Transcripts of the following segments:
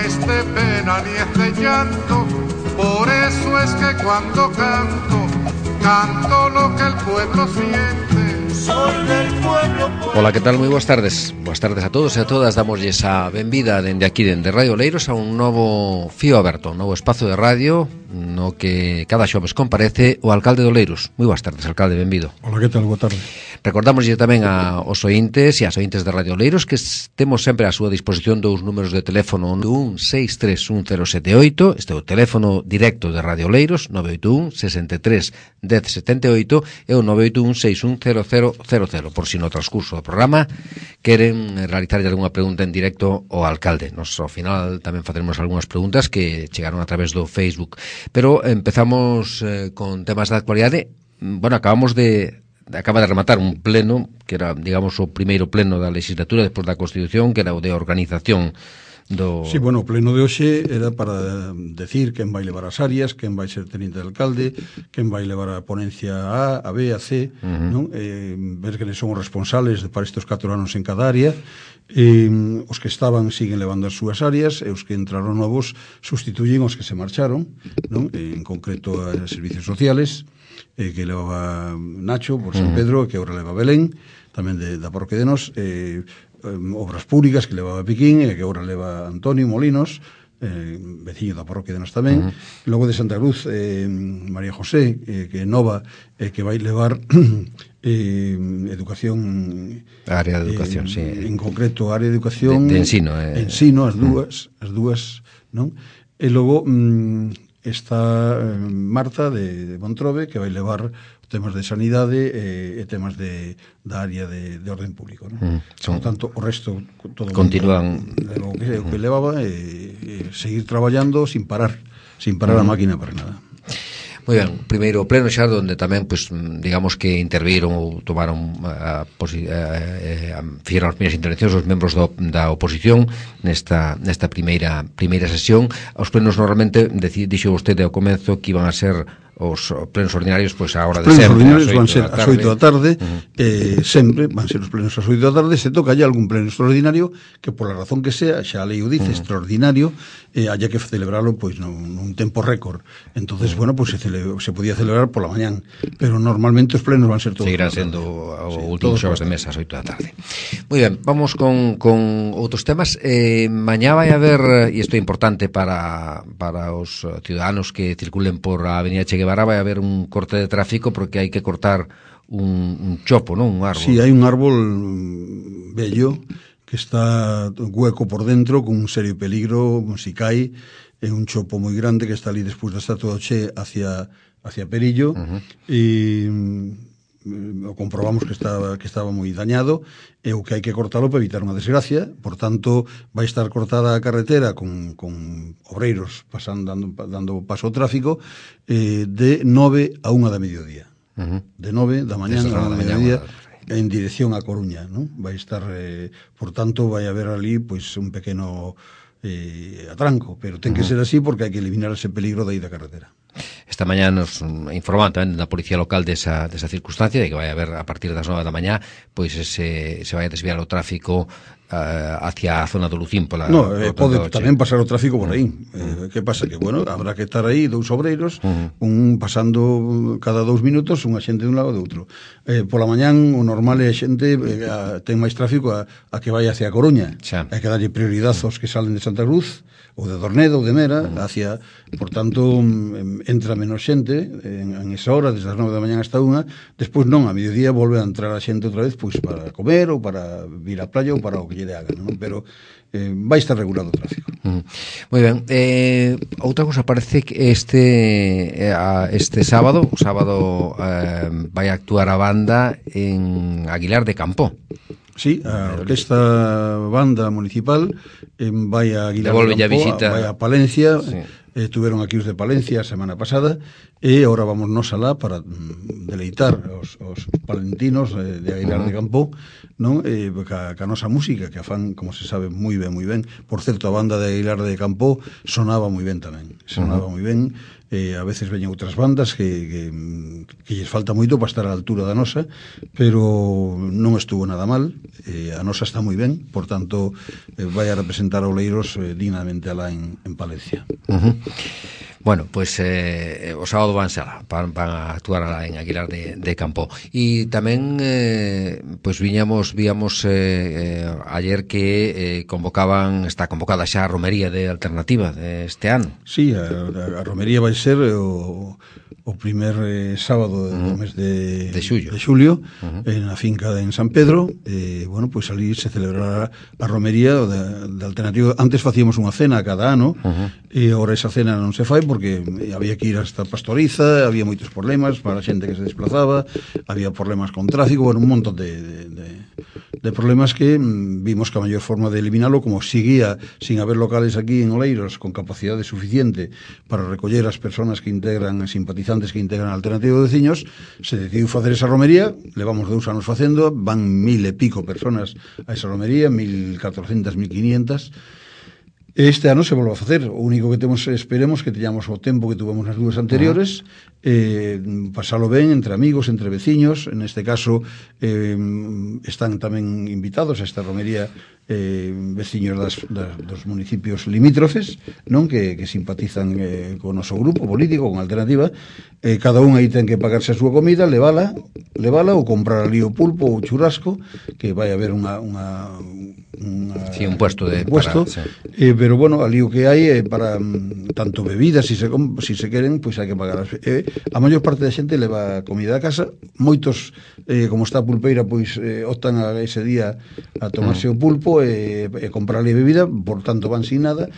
es de pena ni es de llanto, por eso es que cuando canto, canto lo que el pueblo siente. Soy del pueblo. Ola, que tal? Moi boas tardes. Boas tardes a todos e a todas. Damosles a benvida dende aquí, dende Radio Oleiros, a un novo fío aberto, un novo espazo de radio no que cada xoves comparece o alcalde de Oleiros. Moi boas tardes, alcalde, benvido. Ola, que tal? Boa tarde. Recordamoslle tamén aos ointes e ás ointes de Radio Oleiros que temos sempre a súa disposición dous números de teléfono, 981631078, este é o teléfono directo de Radio Oleiros, 981 63 1078 e o 981 610000, por si no transcurso do programa queren realizar algunha pregunta en directo ao alcalde. Nos ao final tamén faremos algunhas preguntas que chegaron a través do Facebook, pero empezamos con temas da actualidade. Bueno, acaba de rematar un pleno que era, digamos, o primeiro pleno da legislatura despois da Constitución, que era o de organización do... Sí, bueno, o pleno de hoxe era para decir quen vai levar as áreas, quen vai ser teniente de alcalde, quen vai levar a ponencia A, a B, a C, non? Ver quen son os responsables para estes 4 anos en cada área. Os que estaban siguen levando as súas áreas e os que entraron novos sustituyen os que se marcharon, non? En concreto a Servicios Sociales, que levaba Nacho por San Pedro, que agora leva Belén, tamén da parroquia de Nos, Obras Públicas, que levaba Piquín, e que agora leva Antonio Molinos, veciño da parroquia de Nos tamén. Logo de Santa Cruz, María José, que é nova, que vai levar educación, a área de educación, sí. En concreto a área de educación de ensino, ensino, as dúas, non? E logo está Marta de Montrobe, que vai levar temas de sanidade e temas da área de orden público, non? Por tanto, o resto todo continúan o que levaba seguir traballando sin parar a máquina para nada. Moi ben, primeiro pleno xa onde tamén, pues, digamos que interviron ou tomaron fixeron as primeiras intervencións os membros da oposición nesta primeira sesión. Os plenos normalmente, dixo vostede ao comezo que iban a ser os plenos ordinarios, pois a hora de sempre. Os plenos ordinarios van ser ás 8 da tarde, sempre van ser os plenos ás 8 da tarde, se toca allá algún pleno extraordinario que por la razón que sea, xa a lei o dice, extraordinario, haya que celebrarlo pois nun tempo récord. Entonces, bueno, pois se podía celebrar pola mañán, pero normalmente os plenos van ser todos. Seguirán sendo o último xoves de mesa ás 8 da tarde. Moi ben, vamos con outros temas. Mañá vai haber, e isto é importante para os ciudadanos que circulen por a Avenida Che Guevara, vai haber un corte de tráfico porque hai que cortar un chopo, non? Un árbol. Sí, hai un árbol bello que está hueco por dentro, con un serio peligro, si cae, é un chopo moi grande que está ali despois da estatua do Che hacia Perillo, e o comprobamos que estaba moi dañado, e o que hai que cortalo para evitar unha desgracia. Por tanto, vai estar cortada a carretera con obreiros dando paso ao tráfico de 9 a 1 da mediodía. De 9 da mañán a 1 da mediodía en dirección a Coruña, non? Vai estar, por tanto, vai haber ali pois un pequeno atranco, pero ten que ser así porque hai que eliminar ese peligro de aí da carretera. Esta mañá nos informaban tamén da Policía Local desa circunstancia, de que vai haber a partir das 9 da mañá pois se vai a desviar o tráfico hacia a zona do Lucín pola... No, pode tamén pasar o tráfico por aí. Que pasa? Que, bueno, habrá que estar aí dous obreiros, un pasando cada 2 minutos, unha xente de un lado e do outro. Pola mañán o normal é a xente ten máis tráfico a que vai hacia a Coruña. Hai que darlle prioridade aos que salen de Santa Cruz ou de Dornedo ou de Mera hacia, por tanto entra menos xente en esa hora, desde as 9 da mañán hasta 1. Despois non, a mediodía volve a entrar a xente outra vez pois para comer ou para vir á playa ou para o que lle dé a gana, non? Pero vai estar regulado o tráfico. Moi ben. Outra cousa, parece que este sábado vai actuar a banda en Aguilar de Campo. Sí, a orquesta banda municipal vai a Aguilar de Campo, vai a Palencia. Sí. Tuveron aquí os de Palencia a semana pasada e agora vamos nos alá para deleitar os palentinos de Aguilar de Campoo, non? Ca nosa música, que a fan, como se sabe, moi ben, moi ben. Por certo, a banda de Aguilar de Campoo sonaba moi ben tamén, sonaba moi ben. A veces veñen outras bandas que lles falta moito para estar á altura da nosa, pero non estuvo nada mal. A nosa está moi ben, por tanto vai a representar a Oleiros dignamente alá en Palencia. Bueno, pues o sábado van a actuar alá en Aguilar de Campoo. E tamén pues víamos ayer que está convocada xa a romería de Alternativa este ano. Sí, a romería vai ser o primer sábado do mes de xulio na finca en San Pedro. Bueno, pois ali se celebrará a romería de Alternativa. Antes facíamos unha cena cada ano, e agora esa cena non se fai porque había que ir hasta Pastoriza, había moitos problemas para a xente que se desplazaba, había problemas con tráfico, bueno, un montón de problemas que vimos que a maior forma de eliminalo, como seguía sin haber locales aquí en Oleiros con capacidade suficiente para recoller as persoas que integran, simpatizantes que integran a Alternativa de Veciños, se decidiu facer esa romería. Levamos 2 anos facendo, van 1000 e pico personas a esa romería, 1400, 1500. Este ano se volve a facer. O único que temos, esperemos que teñamos o tempo que tuvemos nas 2 anteriores, pasalo ben entre amigos, entre veciños. En este caso están tamén invitados a esta romería veciños dos municipios limítrofes, non, que simpatizan con o noso grupo político, con Alternativa. Cada un aí ten que pagarse a súa comida, levala ou comprar ali o pulpo ou o churrasco, que vai haber un puesto pero bueno, ali o que hai para tanto bebidas, si se queren, pois hai que pagar. A maior parte da xente leva comida a casa. Moitos, como está a pulpeira, pois optan a ese día a tomarse o pulpo e comprarle bebida, por tanto van sin nada,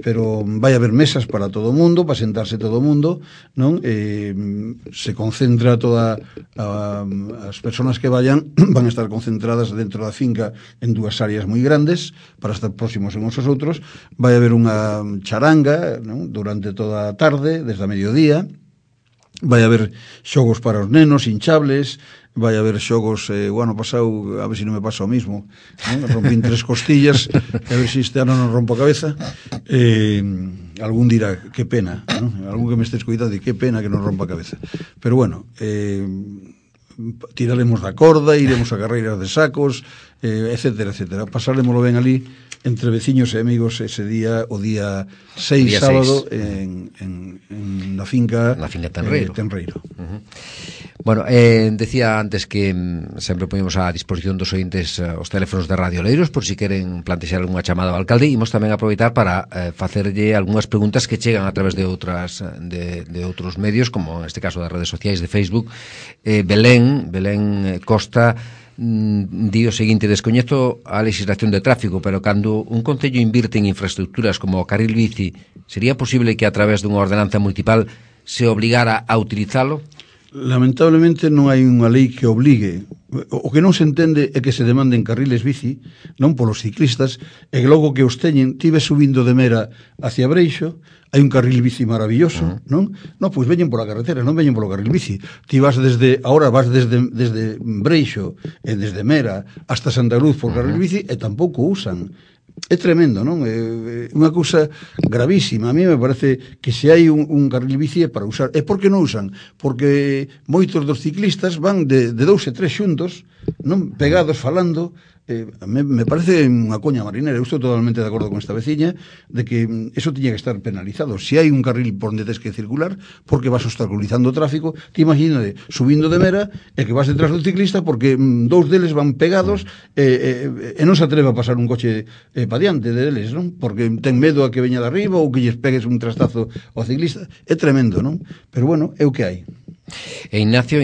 pero vai haber mesas para todo o mundo, para sentarse todo o mundo, non? Se concentra toda as persoas que vayan van a estar concentradas dentro da finca en 2 áreas moi grandes para estar próximos uns aos outros. Vai haber unha charanga, non? Durante toda a tarde, desde a mediodía. Vai haber xogos para os nenos, hinchables. Vai haber xogos, o ano pasado, a ver se non me pasa o mismo, non? Rompín 3 costillas, a ver se este ano non rompo a cabeza. Algún dirá, que pena, non? Algún que me estés cuidando e que pena que non rompa a cabeza. Pero bueno, tiraremos da corda, iremos a carreiras de sacos, etcétera, etcétera. Pasaremoslo ben ali entre veciños e amigos ese día, o día 6, sábado, en la finca Tenreiro. Bueno, decía antes que sempre poñemos a disposición dos ointes os teléfonos de Radio Oleiros por si queren plantexar algunha chamada ao alcalde. Imos tamén aproveitar para facerlle algunhas preguntas que chegan a través de outros medios, como neste caso das redes sociais de Facebook. Belén Costa di o seguinte: descoñezo a legislación de tráfico, pero cando un concello invirte en infraestructuras como o carril bici, sería posible que a través dunha ordenanza municipal se obligara a utilizalo? Lamentablemente non hai unha lei que obligue. O que non se entende é que se demanden carriles bici, non polos ciclistas, e que logo que os teñen, ti ves subindo de Mera hacia Breixo, hai un carril bici maravilloso, non? Non, pois veñen pola carretera, non veñen polo carril bici. Ti vas desde Breixo e desde Mera hasta Santa Cruz por carril bici e tampouco usan. É tremendo, non? É unha cousa gravísima. A mí me parece que se hai un carril bici é para usar. E por que non usan? Porque moitos dos ciclistas van de 2 e 3 xuntos, non, pegados falando. Me parece unha coña marinera. Eu estou totalmente de acordo con esta veciña de que eso tiña que estar penalizado. Se hai un carril por onde tens que circular, porque vas obstaculizando o tráfico, te imagínate subindo de Mera e que vas detrás do ciclista porque 2 deles van pegados e non se atreve a pasar un coche pa diante deles, non? Porque ten medo a que veña de arriba ou que lles pegues un trastazo ao ciclista. É tremendo, non? Pero bueno, é o que hai. E Ignacio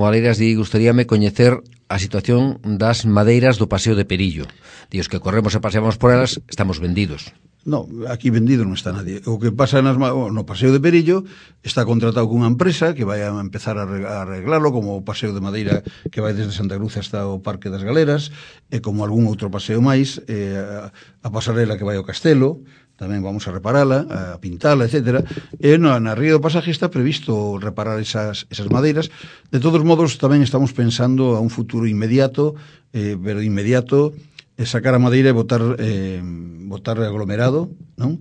Valeiras di: gustaríame coñecer a situación das madeiras do Paseo de Perillo. Dios, que corremos e paseamos por elas, estamos vendidos. No, aquí vendido non está nadie. O que pasa no Paseo de Perillo está contratado cunha empresa que vai a empezar a arreglarlo, como o paseo de madeira que vai desde Santa Cruz hasta o Parque das Galeras, e como algún outro paseo máis, a pasarela que vai ao Castelo, tamén vamos a reparala, a pintala, etcétera. E na Ría do Pasaje está previsto reparar esas madeiras. De todos modos, tamén estamos pensando a un futuro inmediato, pero inmediato, sacar a madeira e botar aglomerado, non?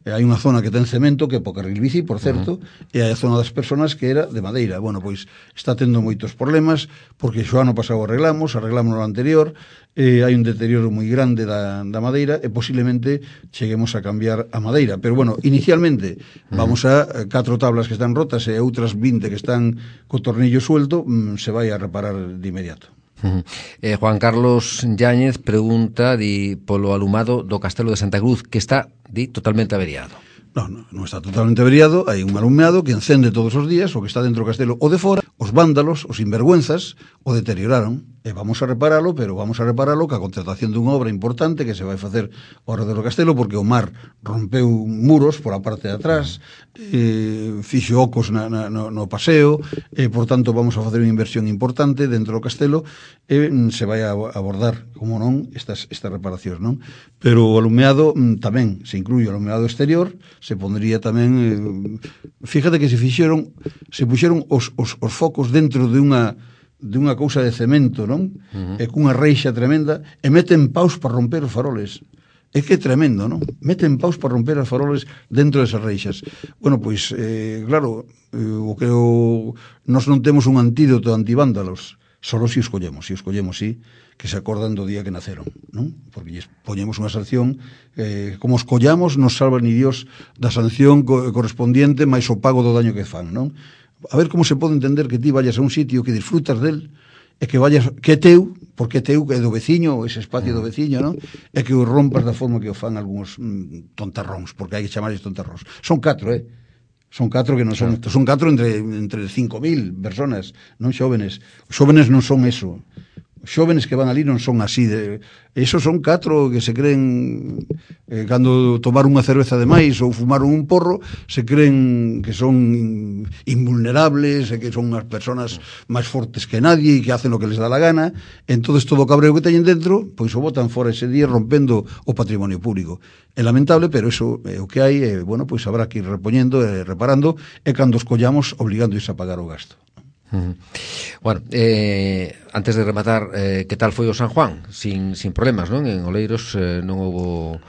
Hai unha zona que ten cemento, que é po carril bici, por certo, e hai a zona das personas que era de madeira. Bueno, pois está tendo moitos problemas, porque xo ano pasado arreglamos no anterior, hai un deterioro moi grande da madeira, e posiblemente cheguemos a cambiar a madeira. Pero bueno, inicialmente vamos a 4 tablas que están rotas e outras 20 que están co tornillo suelto, se vai a reparar de inmediato. Juan Carlos Yáñez pregunta polo alumado do Castelo de Santa Cruz, que está totalmente averiado. Non está totalmente averiado, hai un alumnado que encende todos os días, o que está dentro do castelo o de fora, os vándalos, os sinvergüenzas, o deterioraron, e vamos a reparalo, pero vamos a reparalo ca contratación dunha obra importante que se vai facer ao redor do castelo, porque o mar rompeu muros por a parte de atrás, fixo ocos no paseo, e por tanto vamos a facer unha inversión importante dentro do castelo, e se vai a abordar, como non, estas reparacións, non? Pero o alumeado tamén se incluye o alumeado exterior, se pondría tamén, fíjate que se puxeron os focos dentro de unha cousa de cemento, non? E cunha reixa tremenda, e meten paus para romper os faroles. É que é tremendo, non? Meten paus para romper os faroles dentro desas reixas. Bueno, pois, claro, nós non temos un antídoto antivándalos, solo se os collemos, sí, que se acordan do día que naceron, non? Porque lles poñemos unha sanción, como os collamos, nos salva ni Dios da sanción correspondiente máis o pago do daño que fan, non? A ver como se pode entender que ti vayas a un sitio que disfrutas del, e que vayas, que é teu, porque é teu, que é do veciño, ese espacio do veciño, non? E que o rompas da forma que o fan algúns tontarróns, porque hai que chamarles tontarróns. Son 4, Son 4 que non son, son 4 entre 5.000 personas, non xóvenes. Os xóvenes non son eso. Os xóvenes que van ali non son así esos son 4 que se creen cando tomaron unha cerveza de máis ou fumaron un porro, se creen que son invulnerables e que son unhas personas máis fortes que nadie e que hacen o que les dá la gana. Entonces todo o cabreo que teñen dentro, pois o botan fora ese día rompendo o patrimonio público. É lamentable, pero eso é o que hai, e bueno, pois habrá que ir repoñendo e reparando, e cando os collamos obligándoos a pagar o gasto. Bueno, antes de rematar, que tal foi o San Juan? Sin problemas, non? En Oleiros non houbo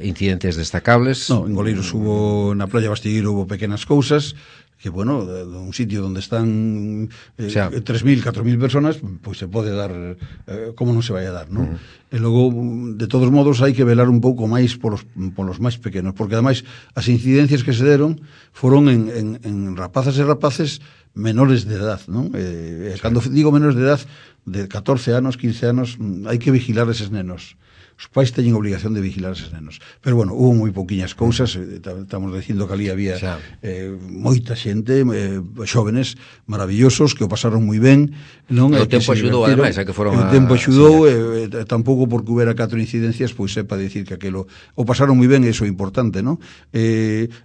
incidentes destacables. No, en Oleiros hubo, na Playa Bastigueiro hubo pequenas cousas, que, bueno, un sitio onde están 3.000, 4.000 personas, pois se pode dar, como non se vai a dar, non? E logo, de todos modos, hai que velar un pouco máis polos máis pequenos, porque ademais as incidencias que se deron foron en rapazas e rapaces menores de edad, non? Cando digo menores de edad, de 14 anos, 15 anos, hai que vigilar eses nenos. Os pais teñen obligación de vigilar eses nenos. Pero, bueno, hubo moi pouquiñas cousas, estamos dicindo que ali había moita xente, xóvenes maravillosos, que o pasaron moi ben, non? O tempo axudou, ademais, a que foron o tempo axudou, tampouco porque houbera 4 incidencias, pois sepa dicir que aquelo o pasaron moi ben, e iso é importante, non?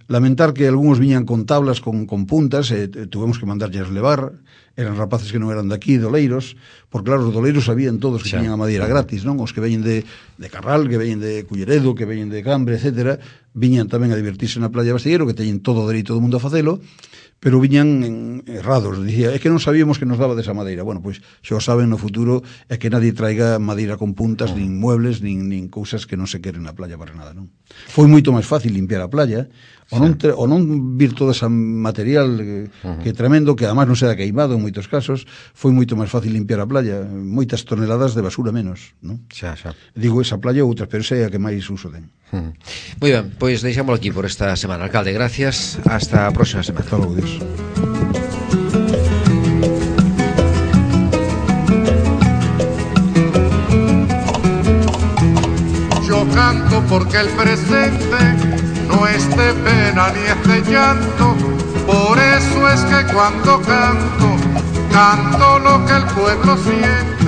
Lamentar que algúns viñan con tablas, con puntas, tuvemos que mandarlles levar, eran rapaces que non eran daqui, de Oleiros, porque claro, os de Oleiros sabían todos que tiñan a madeira gratis, non? Os que veñen de Carral, que veñen de Culleredo, que veñen de Cambre, etcétera, viñan tamén a divertirse na Playa Bastigueiro, que teñen todo o dereito do mundo a facelo, pero viñan errados. Dicía, é que non sabíamos que nos daba desa madeira. Bueno, pois xa o saben no futuro, é que nadie traiga madeira con puntas, nin muebles, nin cousas que non se queren na playa para nada, non? Foi moito máis fácil limpiar a playa, o non vir todo ese material que é tremendo, que además non será queimado en moitos casos. Foi moito máis fácil limpiar a playa, moitas toneladas de basura menos, non? Xa. Digo, esa playa ou outras, pero esa é a que máis uso ten. Moi ben, pois deixámoslo aquí por esta semana. Alcalde, gracias, hasta a próxima semana. Hasta logo, Dios. Yo canto porque el presente no es de pena ni es de llanto, por eso es que cuando canto, canto lo que el pueblo siente.